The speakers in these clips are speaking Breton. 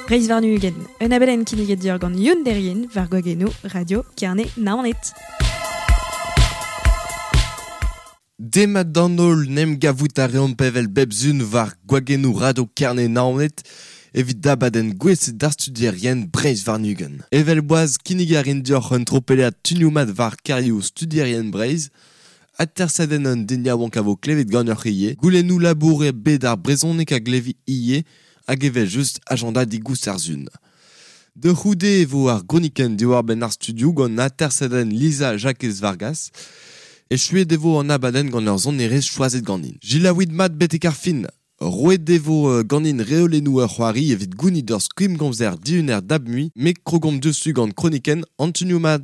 Breizh warn-ugent, un abadenn kinniget deoc'h gant Youn Derrien war gwagennoù Radio Kerne Naoned. Demat d'an holl, n'em gavout a reomp evel bep sun war gwagennoù Radio Kerne Naoned evit abadenn gouestlet d'ar studierien Breizh warn-ugent. Evel boaz, kinnig a rin deoc'h un tropellat tunioù mat war karioù studierien Breizh, Atersadenn un den yaouank a vo klevet ganeoc'h ivez, goulennoù labour e bed ar brezhoneg a glevi ivez, hag evel-just agenda digoust ar sun. Da c'houde e vo ar gronikenn diwar-benn ar studioù gant atersadenn Lisa Jakez Vargas. Echuet e vo an abadenn gant ur sonerezh choazet ganin. Selaouit mat betek ar fin! Roet e vo ganin reolennoù ur c'hoari evit gounit ur skoulm-gomzer dihuner dab-mui, met krogomp diouzhtu gant kronikenn an tunioù mat.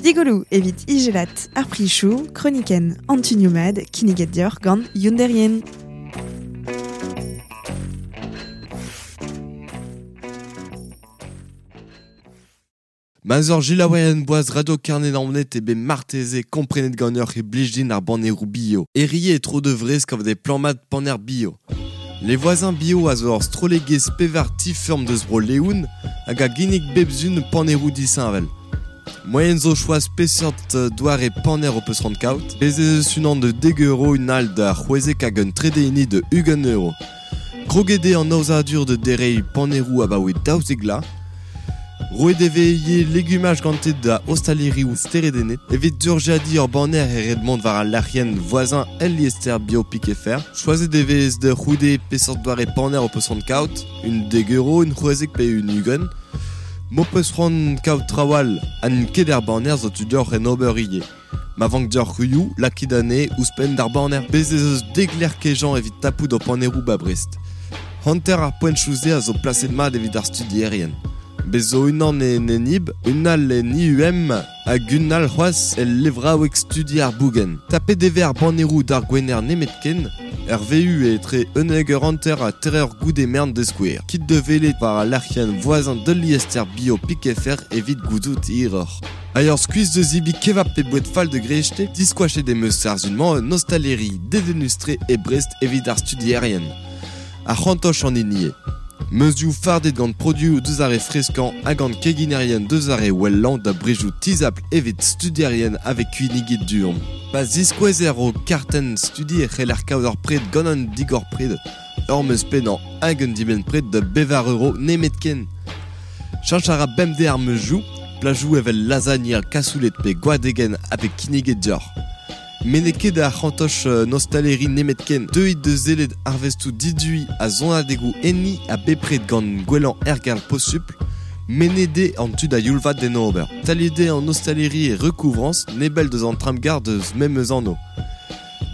Digoloù evit ijelat ar prichoù, kronikenn an tunioù mat kinniget deoc'h gant Youn Derrien. Ma 'z oc'h selaouerien boaz Radio Kerne-Naoned eo bet marteze komprenet ganeoc'h e blij din ar banneroù bio. Herie e tro da Vrest kavet eo plan-mat panner bio. Les Voisins Bio a zo ur strollegezh pevar ti-feurm deus Bro-Leon hag a ginnig bep sun panneroù disheñvel. Moaien zo choaz peseurt doare panner ho peus c'hoant kaout. Bez' ez eus unan da dek euro, un all da c'hwezek hag un trede hini da ugent euro. Kroget eo an aozadur da dereiñ panneroù abaoe 12 vloaz. Roet e vez ivez legumaj gante da ostalerioù steredennet. Evit durjadiñ ur banner e ret mont war al lec'hienn voisin el liester bio.fr. Choazet e vez da c'houde peseurt doare panner ho peus c'hoant kaout, un dek euro, un c'hwezek pe un ugent. M'ho peus c'hoant kaout traoù all ha n'int ket er banner zo tu deoc'h en ober ivez. Ma vank deoc'h ruioù, lakit anezhe ouzhpenn d'ar banner. Bez' ez eus dek lec'h kejañ evit tapout ho panneroù 'ba Brest. Hanter ar poentoù-se a zo plaset mat evit ar studierien. Bez' zo unan en Enib, un all en IUM hag un all c'hoazh el levraoueg studi ar Bougenn. Tapet e vez ar banneroù d'ar Gwener nemetken, er VU etre 11h30 ha 3h goude merenn da skouer. Kit da welet war al lec'hienn voisin de liester bio pik.fr evit gouzout hiroc'h. Hag ur skuizh da zebriñ kebab pe boued fall da greiste, diskoachet em eus ar sun-mañ un ostaleri dedennus-tre e Brest evit ar studierien. Ar c'hantoch an hini eo. Meuzioù fardet gant produoù deus ar re freskañ ha gant keginerien deus ar re wellañ da brezioù tizhapl evit studierien a vez kinniget du-hont. Pa ziskouezer ho kartenn studi e c'heller kaout ur pred gant un digor-pred, ur meuz pennañ hag un dibenn-pred da bevar euro nemetken. Cheñch a ra bemdez ar meuzioù, plajoù evel lasagna, kasouled pe gwadegenn a vez kinniget deoc'h. Met n'eo ket ar c'hantoch nostaleri nemetken. Deuit da sellet arvestoù diduiñ ha sonadegoù enni ha bepred gant gwellañ ergal posupl. Mennet eo an tu da youl-vat d'en ober. Staliet eo an ostaleri e Recouvrance, nebell deus an tramgarr deus memes anv.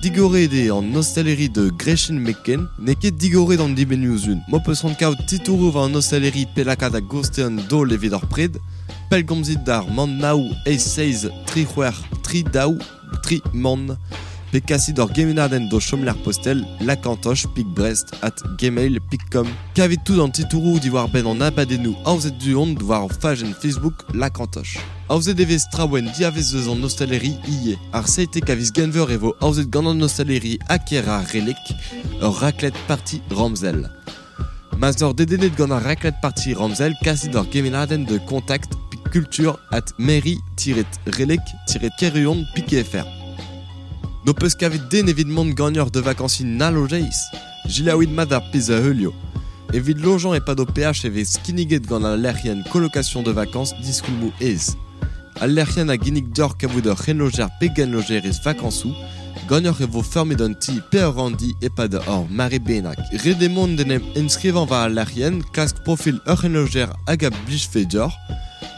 Digoret eo an ostaleri da Grechin Meken. N'eo ket digoret an dibennoù-sizhun. M'ho peus c'hoant kaout titouroù war an ostaleri pe lakaat a-gostez un daol evit ur pred, pellgomzit d'ar man nav eizh seizh tri c'hwec'h tri daou tri mann pe kasit ur gemennadenn d'ho chomlec'h postel lakantoch.brest@gmail.com. Kavit tout an titouroù diwar-benn an abadennoù aozet du-hont war hor fajenn Facebook Lakantoch. Aozet e vez traoù en diavez eus an ostaleri ivez. Ar 17 a viz Genver e vo aozet gant an ostaleri Aker ar Releg ur raclette party ramzel. Ma 'z oc'h dedennet gant ar raclette party ramzel, kasit ur gemennadenn da contact culture at mairie-releg-kerhuon.fr. N'ho peus kavet den evit mont ganeoc'h da vakañsiñ na lojeiz? Selaouit mat ar pezh a heulio. Evit lojañ e-pad ho peaj e vez kinniget gant al lec'hienn Colocation de vacances diskoulmoù aes. Al lec'hienn a ginnig deoc'h kavout ur c'henlojer pe genlojerez vakañsoù. Ganeoc'h e vo feurmet un ti pe ur ranndi e-pad ur mare bennak. Ret eo mont d'en em enskrivañ war al lec'hienn, klask profil ur c'henlojer hag a blijfe deoc'h,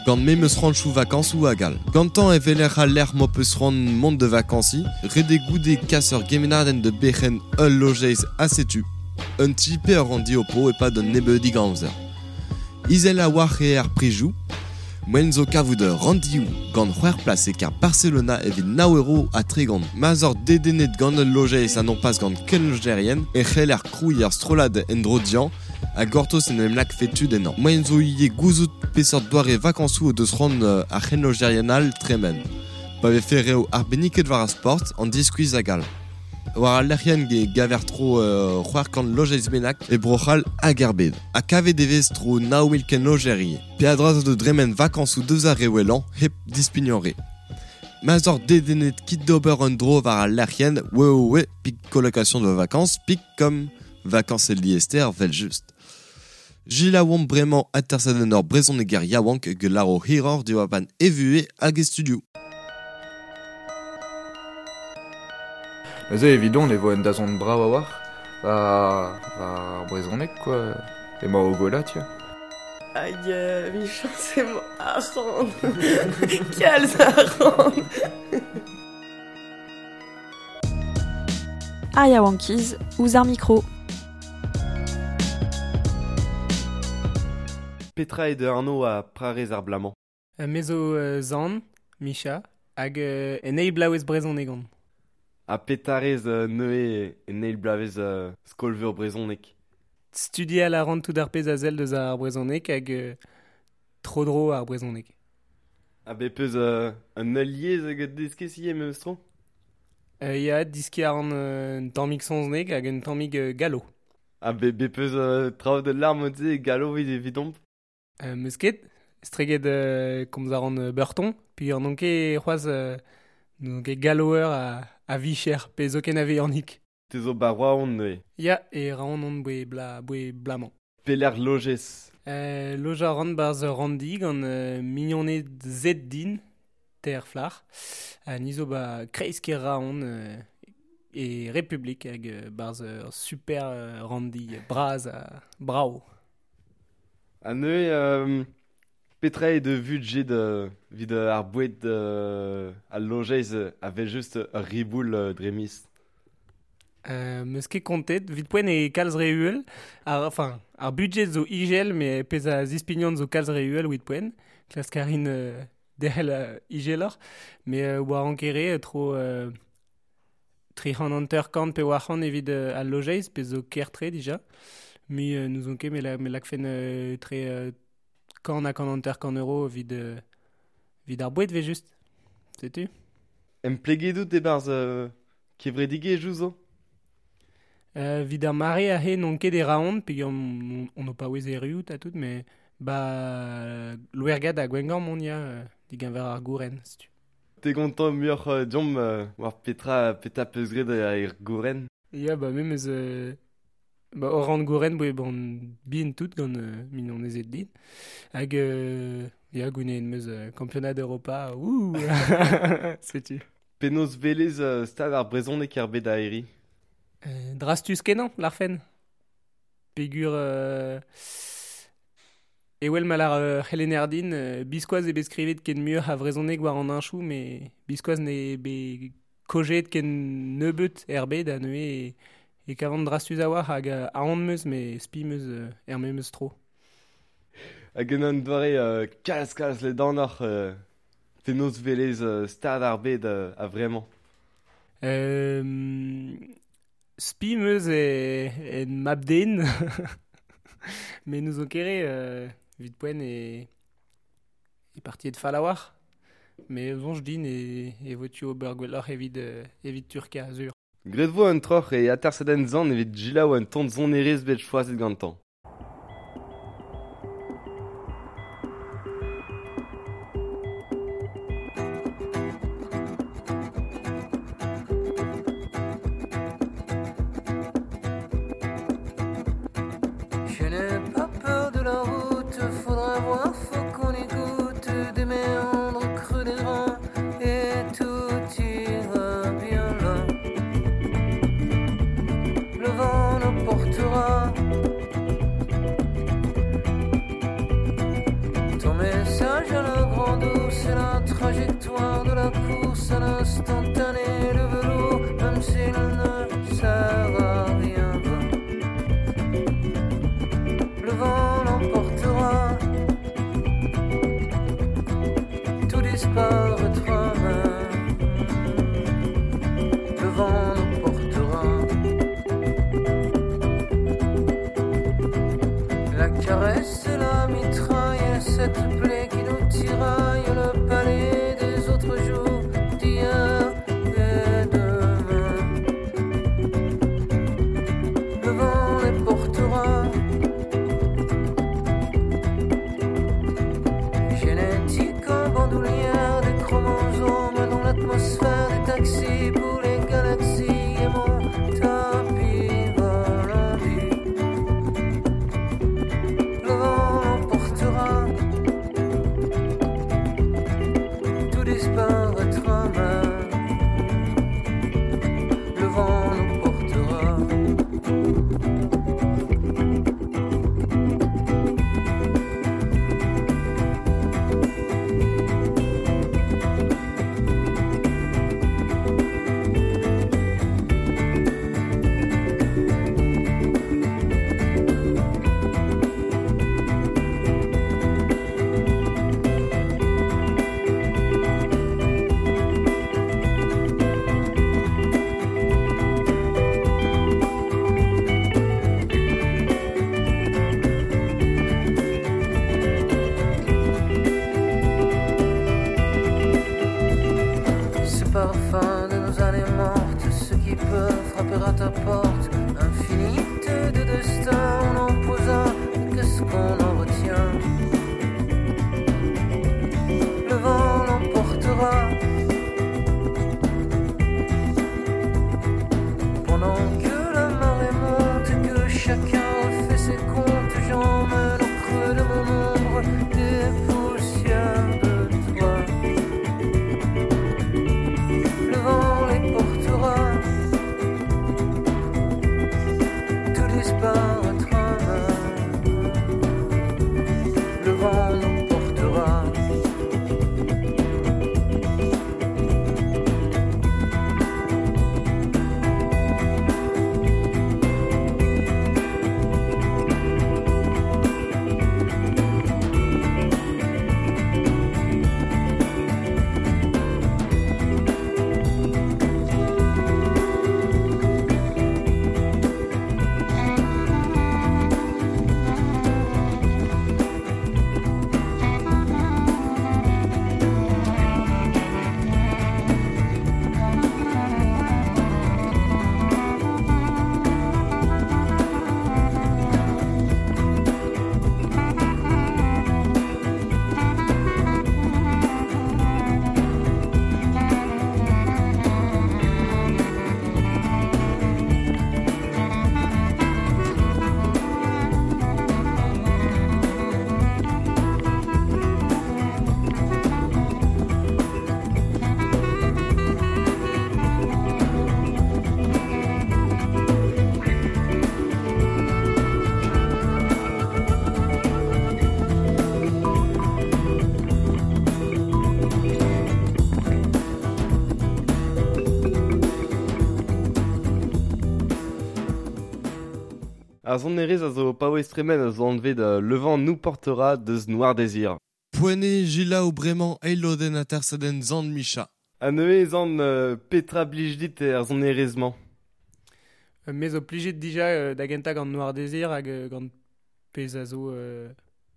gant memes c'hoantoù vakañsoù hag all. Gantañ e weler al lec'h m'ho peus c'hoant mont da vakañsiñ, ret eo goude kas ur gemennadenn da berc'henn ul lojeiz ha setu. Un ti pe ur ranndi ho po e-pad un nebeudig amzer. Izel a-walc'h eo ar prizioù. Moaien zo kavout ranndioù gant c'hwec'h plas e kêr Barcelona evit nav euro ha tregont. Ma 'z oc'h dedennet gant ul lojeiz ha non pas gant kenlojerien e c'heller krouiñ ur strollad en-dro dezhañ. A gortoz en em lak fetud ennañ. Moaien zo ivez gouzout peseurt doare vakañsoù o deus c'hoant ar c'henlojerien all tremen. Pa vefe reoù arbenniket war ar sport, an diskuizh hag all. War al lec'hienn ge gaver tro 600 lojeiz bennak e Bro-C'hall hag er bed. Ha kavet e vez tro 9 000 kenlojer ivez. Peadra zo da dremen vakañsoù deus ar re wellañ hep dispignañ re. Ma'z oc'h dedennet kit d'ober un dro war al lec'hienn www pik colocation de vacances pik com Vacances el liester 'vel-just. Selaouomp bremañ atersadenn ur brezhoneger yaouank hag lâro hiroc'h diwar-benn e vuhez hag e studioù. Neuze evidon e vo un dazont brav a-walc'h war ar brezhoneg quoi. Emañ o gwellañ tiens. Hag 'michañs emañ arc'hant. Kalz arc'hant. Ar yaouankiz ouzh ar mikro. Petra eo da anv ha prarez ar bloaz-mañ? Me zo Zan, Micha, hag en eil bloavezh brezhoneg on. Ha petra rez neuze en eil bloavezh skol-veur brezhoneg? Studial a ran tout ar pezh a sell deus ar brezhoneg hag tro-dro ar brezhoneg. Ha bet 'peus un eil yezh hag deskez ivez memes tro? Ya, deskiñ a ran un tammig saozneg hag un tammig gallo. Ha bet bet 'peus traoù da lâr mod-se e gallo evidomp? 'Meus ket, estreget komz a ran beurton, peogwir n'on ket c'hoazh n'on ket galloer a-vicher pe zoken a-vihanik. Te zo 'ba Roazhon neuze? Ya, e Roazhon on boe bla boe blamañ. Pelec'h lojez? Lojañ a ran 'barzh ur ranndi gant mignoned Z din, teir flac'h. Ha ni zo 'ba kreiz-kêr Roazhon e Republik hag 'barzh ur super ranndi bras ha brav. Ha neuze, petra eo da vudjed evit ar boued al lojeiz a-wel-just ur riboul dre miz? 'Meus ket kontet, evit poent eo kalz re uhel. Ar, enfin, ar budjed zo ijel, met pezh a zispignan zo kalz re uhel evit poent. Klask a rin derc'hel ijeloc'h. Met war an kere, tro 350 pe 400 evit al lojeiz, pezh zo ker-tre dija. Mui n'ouzon ket me me lakfen tre kant ha 150 euro evit evit ar boued 'vel-just. Setu. Empleget out e-barzh kevredigezhioù zo? Evit ar mare aze n'on ket e Roazhon peogwir on o paouez erruout ha tout met 'ba Louergad ha Gwengamp on ya digeñver ar gouren setu. Te gontañ muioc'h deomp war petra petra 'peus graet er gouren? Ya ba me 'meus ba hor rann gouren boe ban bihan tout gant mignonezed din. Hag ya gouneet 'meus kampionad Europa ouh setu. Penaos 'welez stad ar brezhoneg er bed aeri? Drastus kenañ, lârfen. Peogwir ewel ma lâr ur c'helenner din, biskoazh eo bet skrivet ken muioc'h a vrezhoneg war an heñchoù, met biskoazh n'eo bet kojet ken nebeut er bed ha neuze e kavan drastus a-walc'h hag aon 'm eus met spi 'm eus er memes tro. Hag en un doare kalz-kalz ledanoc'h penaos 'welez stad ar bed a-vremañ? Spi 'm eus en mab-den met n'ouzon ket re evit poent e partiet fall a-walc'h. Met soñj din e vo tu ober gwelloc'h evit evit Turkia, sur. Graet vo un troc'h e atersadenn Zan evit selaou un tamm sonerezh bet choazet gantañ. Je n'ai pas peur de la route, faudra voir, faut qu'on écoute des méandres creux des reins et tout ira bien là. Le vent nous portera. Ton message à la grande eau, c'est la trajectoire de la course à l'instantané, le velours, même s'il ne sert à rien. Le vent l'emportera, tout disparaîtra, le vent nous portera. Ar sonerezh a zo paouez tremen a zo anvet Le vent nous portera deus Noir Désir. Poent eo selaou bremañ eil lodenn atersadenn Zan Micha. Ha neuze Zan, petra blij dit er sonerezh-mañ? Me zo plijet dija da gentañ gant Noir Désir hag gant pezh a zo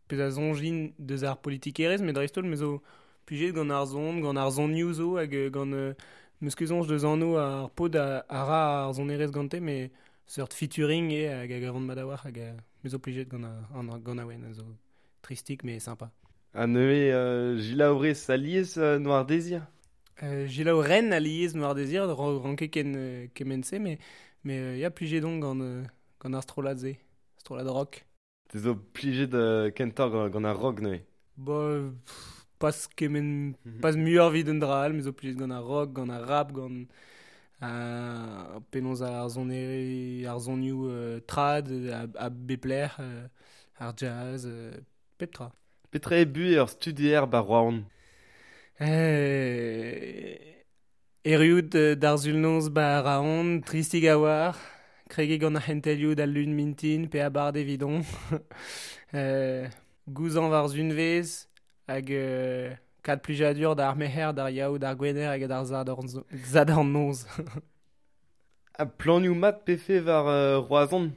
pezh a soñj deus ar politikerezh, met dreist-holl me zo plijet gant ar son, gant ar sonioù zo hag gant 'meus ket soñj deus anv ar paotr a ra ar sonerezh gante, met seurt featuring eo hag a gavan mat a-walc'h hag me zo plijet gant ar ganaouenn a zo tristik met sympa. Ha neuze selaourez alies Noir Désir? Selaou ren alies Noir Désir, ran ket ken kement-se, met ya plijet on gant ar strollad-se, strollad rock. Te zo plijet kentoc'h gant ar rock neuze? Ba, pas kement, pas muioc'h evit un dra all, me zo plijet gant ar rock, gant ar rap, gant penaos ar soneri, ar sonioù trad a bep lec'h, ar jazz, pep tra. Petra eo buhez ur studier 'ba Roazhon? Erruout d'ar sul-noz 'ba Roazhon, tristik a-walc'h, kregiñ gant ar c'hentelioù d'al lun mintin pe abard evidon. Gouzañv ar sunvezh hag kad plijadur d'ar merc'her, d'ar yaou, d'ar gwener hag d'ar zadorn noz. Ha planioù mat pefe war Roazhon?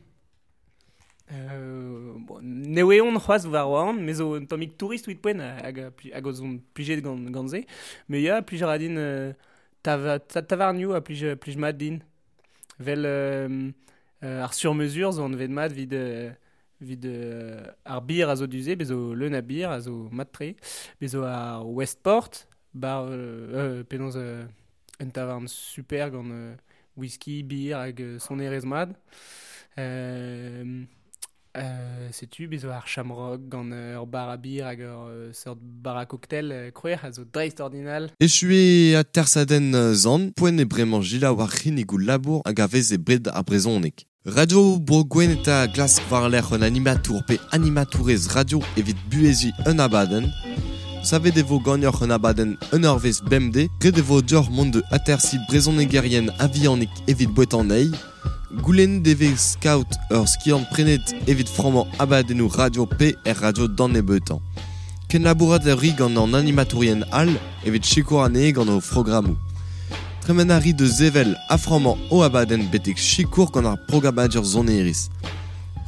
Bon, n'eo on c'hoazh war Roazhon, me zo un tammig tourist evit poent hag o zon plijet gant se. Met ya, plij a ra din tavarnioù a plij mat din. Vel ar sur-mesure zo anvet mat evit ar bir a zo du-se, bez zo leun a bir a zo mat-tre. Bez zo ar Westport, bar penaos un tavarn super gant whisky, bir hag sonerezh mat. Setu, bez zo ar Shamrock gant ur bar a bir hag ur seurt bar a cocktail krouer a zo dreist-ordinal. Echu eo atersadenn Zan, poent eo bremañ selaou ar c'hinnigoù labour hag a vez e bred ar brezhoneg. Radio Bro Gwened a glask war-lerc'h un animatour pe animatourez radio evit buheziñ un abadenn. Savet e vo ganeoc'h un abadenn un eurvezh bemdez, ret e vo deoc'h mont da atersiñ brezhonegerien a-vihanik evit boueta anezhi. Goulennet e vez kaout ur skiant prenet evit frammañ abadennoù radio pe er radio d'an nebeutañ. Kenlabourat a ri gant an animatourien all evit sikour anezhe gant o frogrammoù. Tremen a ri da sevel ha frammañ o abadenn betek sikour gant ar programadur sonerezh.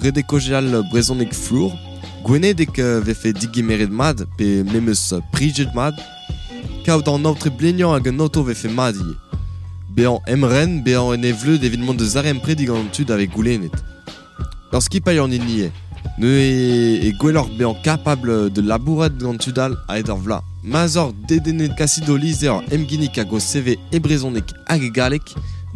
Ret eo kaozeal brezhoneg flour, gwenedek vefe digemeret mat pe memes prijet mat, kaout an aotre bleniañ hag an oto vefe mat ivez. Bezañ emren, bezañ en e vleud evit mont da zaremprediñ gant an tud a vez goulennet. Ur skipailh an hini eo. Neuze e gwelloc'h bezañ kapabl da labourat gant tud all a-hed ar vloaz. Ma'z oc'h dedennet kasit ho lizher emginnig hag ho CV e brezhoneg hag e galleg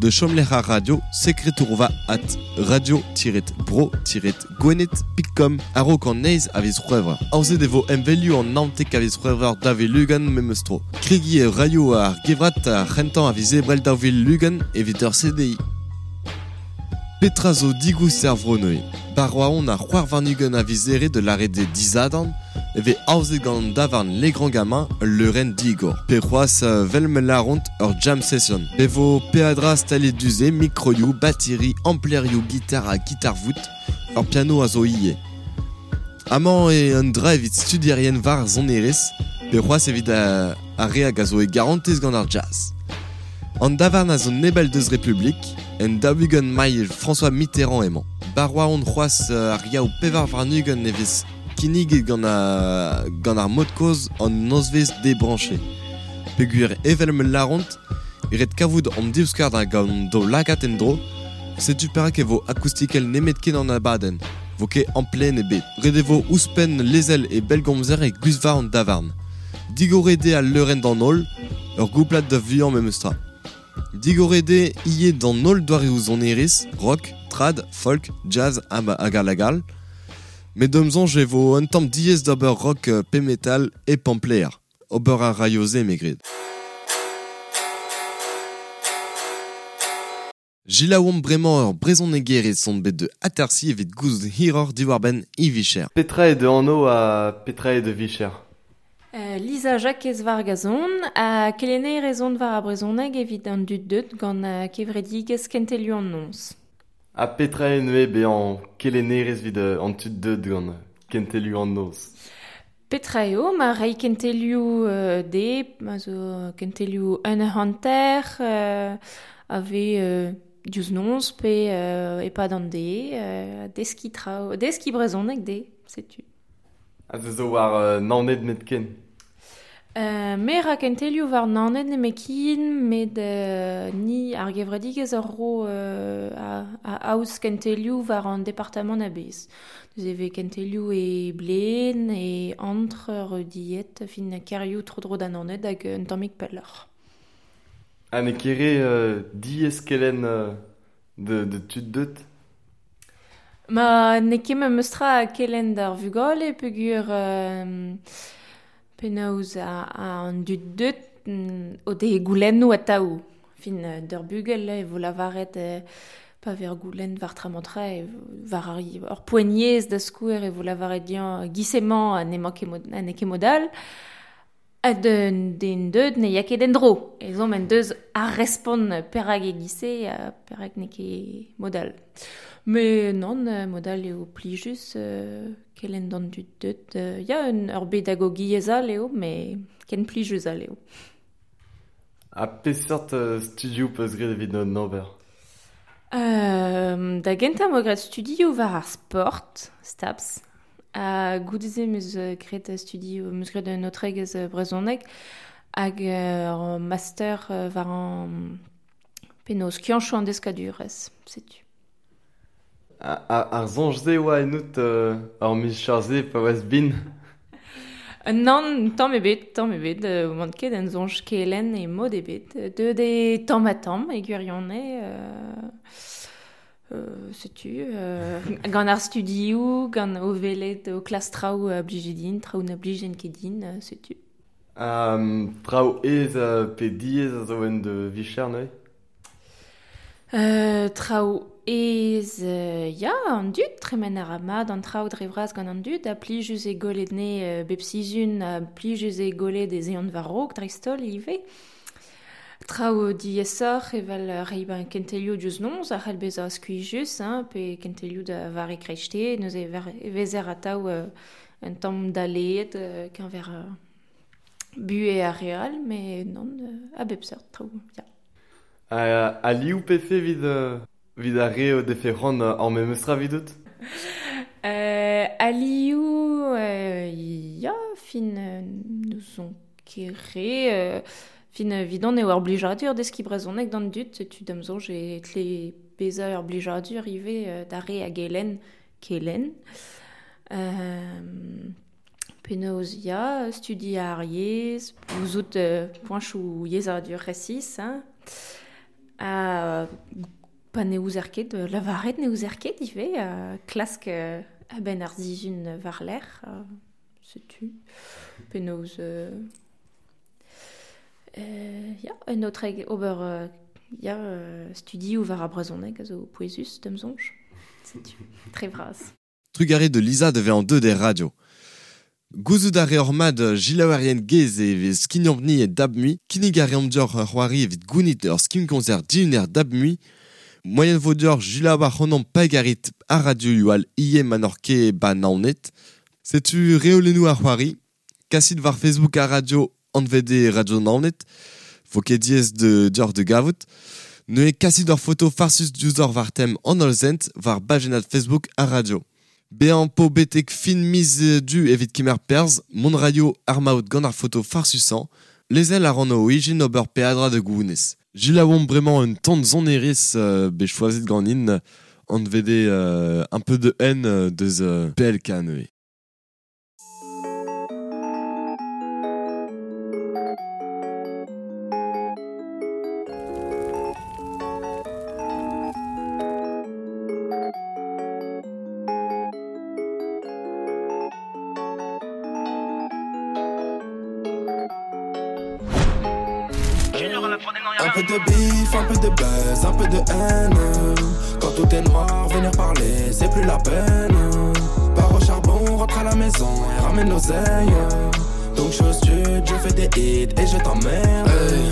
da chomlec'h ar radio sekretourva at radio-bro-gwened.com a-raok an eizh a viz C'hwevrer. Aozet e vo emvelioù an 19 a viz C'hwevrer 2020 memes tro. Kregiñ e raio ar gevrat ar c'hentañ a viz Ebrel 2020 evit ur CDI. Petra zo digoust er vro neuze? Ba Roazhon ar c'hwec'h warn-ugent a viz Here da lâret eo disadorn e vez aozet gant an davarn Les Grands Gamins ul leurenn digor. Pe c'hoazh 'vel ma lâront ur jam session. Be vo peadra staliet du-se, mikroioù, batiri, amplerioù, gitar ha gitar-vout, ur piano a zo ivez. Amañ eo un dra evit studierien war ar sonerezh, pe c'hoazh evit ar re hag a zo e garantez gant ar jazz. An davarn a zo nebell deus Republik, en 40 mailh François Mitterrand emañ. Ba Roazhon c'hoazh ar Yaou 24 e vez kinniget gant ar mod-kozh an nozvezh debranché. Peogwir evel ma lâront, ret kavout an divskouarn hag an daoulagad en-dro, setu perak e vo akoustikel nemetken an abadenn, vo ket amplenn ebet. Ret e vo ouzhpenn lezel e bellgomzer e guzhva an davarn. Digoret eo al leurenn d'an holl, ur gouplad da vuiañ memes tra. Digoret eo ivez d'an holl doareoù sonerezh, rock, trad, folk, jazz hag all hag all. Met d'am soñj e vo un tamm diaes d'ober rock pe metal hep ampleer. Ober a raio se, me gred. Selaouomp bremañ ur brezhonegerez on bet da atersiñ evit gouzout hiroc'h diwar-benn e vicher. Petra eo da anv ha petra eo da vicher? Lisa Jakez Vargazon ha kelennerez on war ar brezhoneg evit an dud deuet gant kevredigezh Kentelioù an Noz. Ha petra eo neuze bezañ kelennerez evit an tud deuet gant kentelioù an noz? Petra eo, ma reiñ kentelioù dezhe, ma zo kentelioù un eur hanter, a vez diouzh noz pe e-pad an deiz, deskiñ traoù, deskiñ brezhoneg dezhe, setu. Ha se zo war Naoned nemetken? Me 'ra kentelioù war Naoned nemetken, met ni ar gevredigezh a ro a aoz kentelioù war an departamant a-bezh. Neuze e vez kentelioù e Blén, e Antre, Reudied, fin kêrioù tro-dro da Naoned hag un tammig pelloc'h. Ha n'eo ket re diaes kelenn de tud deut? Ma n'eo ket memes tra kelenn d'ar vugale peogwir penaos an dud deut o dez goulennoù atav. Fin d'ur bugel e vo lavaret pa vez ur goulenn war tra-mañ-tra war ur poent-yezh da skouer e vo lavaret dezhañ giz-emañ n'emañ ket n'eo ket mod all. Ha d'un den deut ne ya ket en-dro. Ezhomm en deus ar respont perak e giz-se ha perak n'eo ket mod all. Met nann, mod all eo plijus kelenn d'an dud deut. Ya, ur bedagogiezh all eo, met ken plijus all eo. Ha peseurt studioù 'peus graet evit an ober? Da gentañ 'm boa graet studioù war ar sport, STAPS. Ha goude-se 'm eus graet studioù, 'm eus graet un aotregezh brezhoneg hag ur master war an penaos skianchoù an deskadurezh, setu. Ar soñj-se oa ennout ur micher-se pa oas bihan? Nann, tamm ebet, tamm ebet. Oan ket en soñj kelenn e mod ebet. Deuet eo tamm-ha-tamm e gwirionez. Setu, gant ar studioù, gant o welet o klask traoù a blije din, traoù na blijent ket din, setu. Traoù aes pe diaes a zo en da vicher neuze? Traoù aes, ya, an dud, tremen a ra mat an traoù dre vras gant an dud, ha plijus eo gwelet anezhe bep sizhun, ha plijus eo gwelet ez eont war-raok dreist-holl ivez. Traoù diaesoc'h evel reiñ kentelioù diouzh noz a c'hell bezañ skuizhus, hein, pe kentelioù da vare kreisteiz, neuze e vezer atav un tamm daleet keñver buhez ar re all, met nann, a bep seurt traoù, ya. Alioù 'pefe evit ar re o defe c'hoant ar memes tra evidout? Alioù, ya, fin n'ouzon ket re. Fin evidon eo ur blijadur deskiñ brezhoneg d'an dud, setu da'm soñj e tle bezañ ur blijadur ivez d'ar re a gelenn kelenn. Penaos ya, studiañ ar yezh, gouzout poañchoù yezhadur resis, hein. Ha pa ne ouzer ket, lavaret ne ouzer ket ivez, klask a-benn ar sizhun war-lerc'h, setu. Penaos... ya, un aotreg ober ya, studioù war ar brezhoneg a zo pouezus da'm soñj. Setu, tre vras. Trugarez de Lisa de vezañ deuet er radio. Gouzout a reoc'h mat gilaouerien gaezh e vez skignomp-ni e dab-mui. Kinnig a reomp deoc'h ur c'hoari evit gounit ur skign-komzer dihuner dab-mui. Moaien vo deoc'h gilaou ac'hanomp pa garit ar radioioù all ivez ma n'oc'h ket ba Naoned. Setu reolennoù ar c'hoari. Kasit war Facebook ar radio anvet eo Radio Naoned. Vo ket diaes deoc'h da gavout. Neuze kasit ur foto farsus diouzhoc'h war tem an hollzent war bajennad Facebook ar radio. Bezañ po betek fin miz Du evit kemer perzh, mont raio ar maout gant ar foto farsusañ, lezel a ran o ijin ober peadra da gounez. Gilaouomp bremañ un tamm sonerezh bet choazet ganin, anvet eo un peu de haine deus PLK neuze. Un peu de bif, un peu de buzz, un peu de haine. Quand tout est noir, venir parler, c'est plus la peine. Pars au charbon, rentre à la maison et ramène l'oseille. Donc je stud, je fais des hits et je t'emmerde. Hey,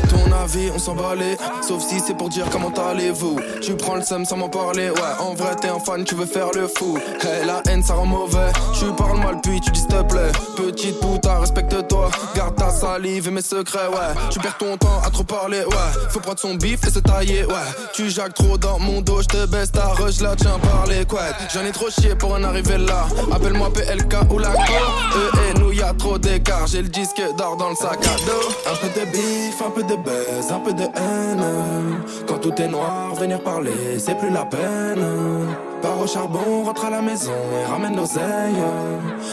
ton avis, on s'en bat les, sauf si c'est pour dire comment allez-vous. Tu prends le seum sans m'en parler, ouais. En vrai t'es un fan, tu veux faire le fou. Hey, la haine ça rend mauvais. Tu parles mal puis tu dis s'il te plaît. Petite puta, respecte-toi. Garde ta salive et mes secrets, ouais. Tu perds ton temps à trop parler, ouais. Faut prendre son bif et se tailler, ouais. Tu jacques trop dans mon dos, je te baisse ta rush, là tiens par les couettes. J'en ai trop chié pour en arriver là. Appelle-moi PLK ou la co. Eux et nous y'a trop d'écart. J'ai le disque d'or dans le sac à dos. Un peu de bif, un peu de buzz, un peu de haine. Quand tout est noir, venir parler, c'est plus la peine. Pars au charbon, rentre à la maison et ramène l'oseille.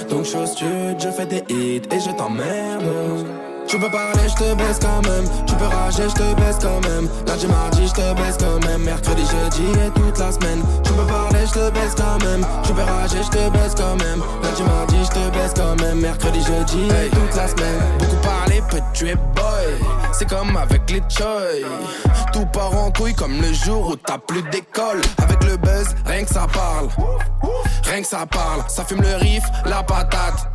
Donc je stud, je fais des hits et je t'emmerde. Tu peux parler, je te baisse quand même. Tu peux rager, je te baisse quand même. Lundi, mardi, je te baisse quand même. Mercredi, jeudi et toute la semaine. Tu peux parler, je te baisse quand même. Tu peux rager, je te baisse quand même. Lundi, mardi, je te baisse quand même. Mercredi, jeudi et toute la semaine. Beaucoup parler peut tuer boy. C'est comme avec les choy. Tout part en couille comme le jour où t'as plus d'école. Avec le buzz, rien que ça parle. Rien que ça parle. Ça fume le riff, la patate.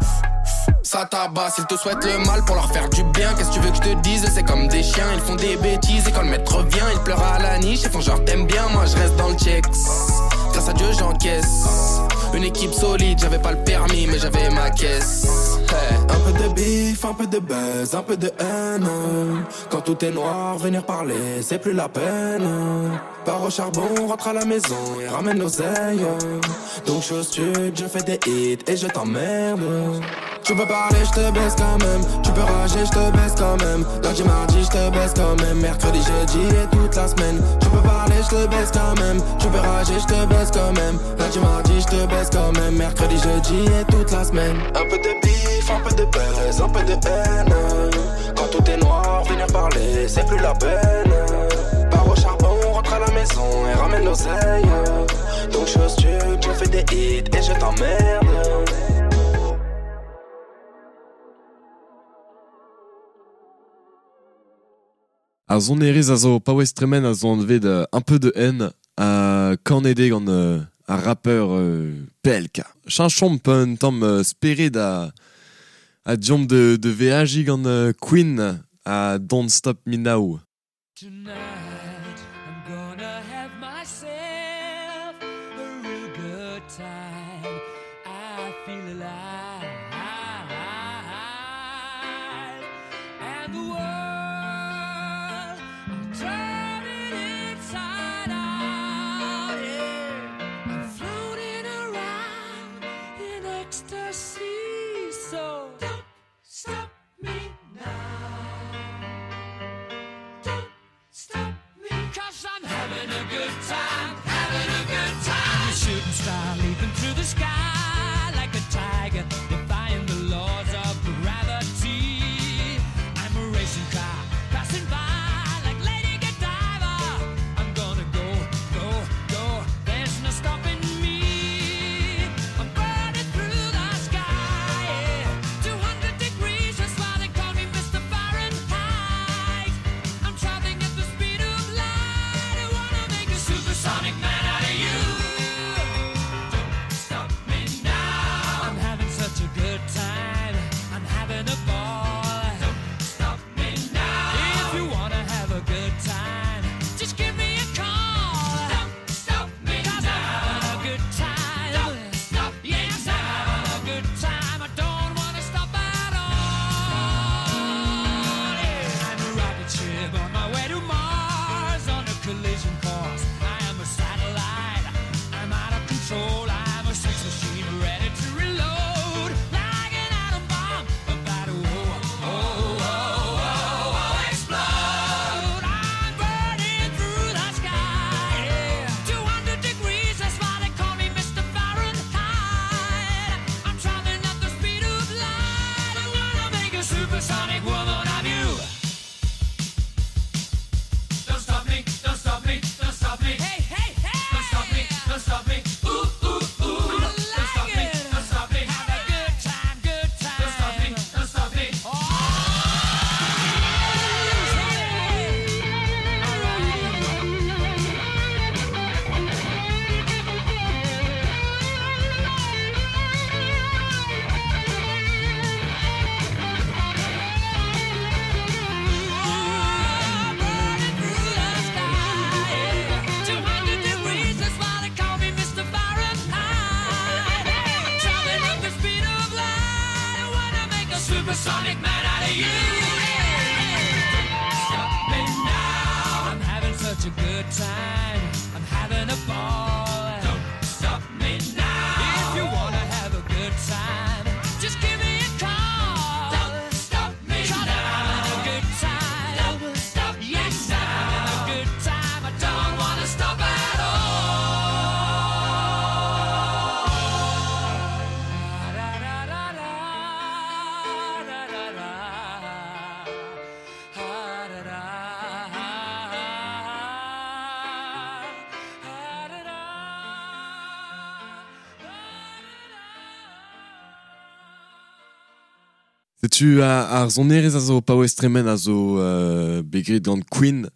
Ça tabasse, ils te souhaitent le mal pour leur faire du bien. Qu'est-ce que tu veux que je te dise? C'est comme des chiens, ils font des bêtises. Et quand le maître vient, ils pleurent à la niche. Ils font genre t'aimes bien, moi je reste dans le checks. Grâce à Dieu j'encaisse. Une équipe solide, j'avais pas le permis mais j'avais ma caisse. Hey. Un peu de bif, un peu de buzz, un peu de haine. Quand tout est noir, venir parler, c'est plus la peine. Pars au charbon, rentre à la maison et ramène l'oseille. Donc je stud, je fais des hits et je t'emmerde. Tu peux parler, je te baisse quand même. Tu peux rager, je te baisse quand même. Lundi, mardi, je te baisse quand même. Mercredi, jeudi et toute la semaine. Tu peux parler, je te baisse quand même. Tu peux rager, je te baisse quand même. Lundi, mardi, je te baisse quand même. Mercredi, jeudi et toute la semaine. Un peu de bif, un peu de buzz, un peu de haine. Quand tout est noir, venir parler, c'est plus la peine. Pars au charbon, rentre à la maison et ramène l'oseille. Donc je stud, je fais des hits et je t'emmerde. Ar sonerezh a zo paouez tremen a zo anvet un peu de haine a kanede gant ar rappeur PLK. Cheñchomp un tamm spered a diomp de veajiñ gant Queen a Don't Stop Me Now. Tonight I'm gonna have myself a real good time. I feel alive. And the world, I'm turning inside out. Yeah. I'm floating around in ecstasy. So don't stop me now. Don't stop me, 'cause I'm having a good time, having a good time. A shooting star leaping through the sky like a tiger, defying the laws of gravity. I'm a racing car passing by like Lady Godiva. I'm gonna go, go, go. There's no stopping me. I'm burning through the sky. Yeah. 200 degrees, that's why they call me Mr. Fahrenheit. I'm traveling at the speed of light. I wanna make a supersonic man out of you. Don't stop me now. I'm having such a good time. I'm having a ball. Don't stop me now. If you wanna have a good time, just give me a call. Don't stop me 'cause now. I'm having a good time. Don't stop yes, I'm having a good time. I don't wanna stop at all. Yeah. I'm a rocket ship on my way to Mars on a collision course. I am a satellite. I'm out of control. I'm a sex machine ready to reload. Like an atom bomb about to oh, oh, oh, oh, oh, explode. I'm burning through the sky. Yeah. 200 degrees, that's why they call me Mr. Fahrenheit. I'm traveling at the speed of light. I wanna make a supersonic woman of you. Don't stop me, don't stop me, don't stop me. Hey, hey, hey! Don't stop me, don't stop me. Ooh, ooh, ooh. I like don't stop me, don't stop me. Have a good time, good time. Don't stop me, don't stop me. Oh, hey. All right. Supersonic man out of you. Don't stop me now. I'm having such a good time. I'm having a ball. Don't stop me now. If you wanna have a good time, just give me a call. Don't stop me now. I'm having a good time. Don't stop yes, me now. I'm having a good time. I don't wanna stop at all. Setu ar sonerezh a zo paouez tremen a zo begret gant Queen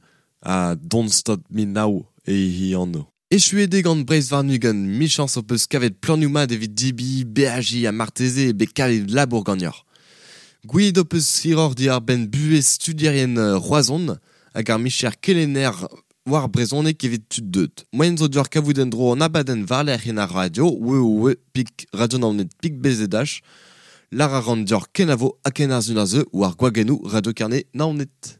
a Don't Stop Me Now e hi anv. Echuet eo gant Breizh warn-ugent, michañs ho peus kavet planioù mat evit dibi, beajiñ ha marteze eo bet kavet labour ganeoc'h. Gouiet ho peus hiroc'h diwar-benn buhez studierien Roazhon hag ar micher kelenner war brezhoneg evit tud deuet. Moaien zo deoc'h kavout en-dro an abadenn war-lerc'h en ar radio, www radionaoned pik bzh, Lar a ran deoc'h kenavo ha ken ar sun a zeu war gwagennoù Radio Carnet Naoned.